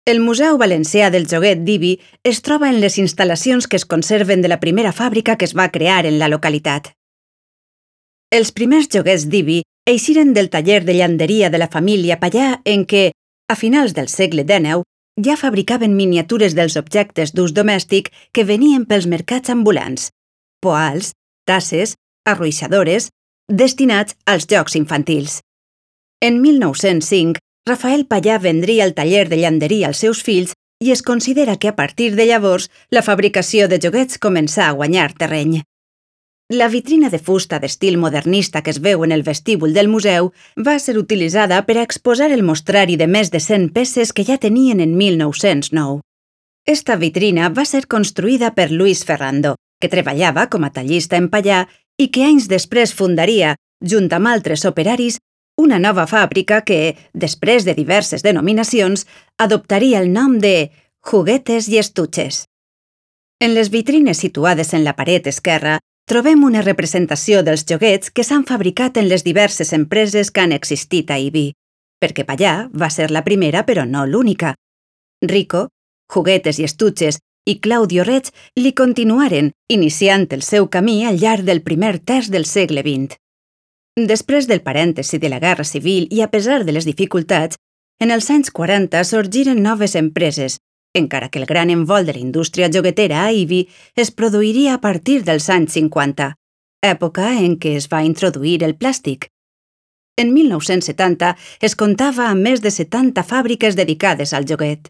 El Museu Valencià del Joguet d'Ibi es troba en les instal·lacions que es conserven de la primera fàbrica que es va crear en la localitat. Els primers joguets d'Ibi eixiren del taller de llanderia de la família Pallà en què, a finals del segle XIX, ja fabricaven miniatures dels objectes d'ús domèstic que venien pels mercats ambulants, poals, tasses, arruixadores, destinats als jocs infantils. En 1905, Rafael Pallà vendria el taller de llanderia als seus fills i es considera que a partir de llavors la fabricació de joguets començà a guanyar terreny. La vitrina de fusta d'estil modernista que es veu en el vestíbul del museu va ser utilitzada per a exposar el mostrari de més de 100 peces que ja tenien en 1909. Esta vitrina va ser construïda per Luis Ferrando, que treballava com a tallista en Pallà i que anys després fundaria, junt amb altres operaris, una nova fàbrica que, després de diverses denominacions, adoptaria el nom de Juguetes i Estuches. En les vitrines situades en la paret esquerra, trobem una representació dels joguets que s'han fabricat en les diverses empreses que han existit a Ibi, perquè Pallà va ser la primera però no l'única. Rico, Juguetes i Estuches i Claudio Reig li continuaren, iniciant el seu camí al llarg del primer terç del segle XX. Després del parèntesi de la Guerra Civil i a pesar de les dificultats, en els anys 40 sorgiren noves empreses, encara que el gran envol de la indústria joguetera a Ibi es produiria a partir dels anys 50, època en què es va introduir el plàstic. En 1970 es comptava amb més de 70 fàbriques dedicades al joguet.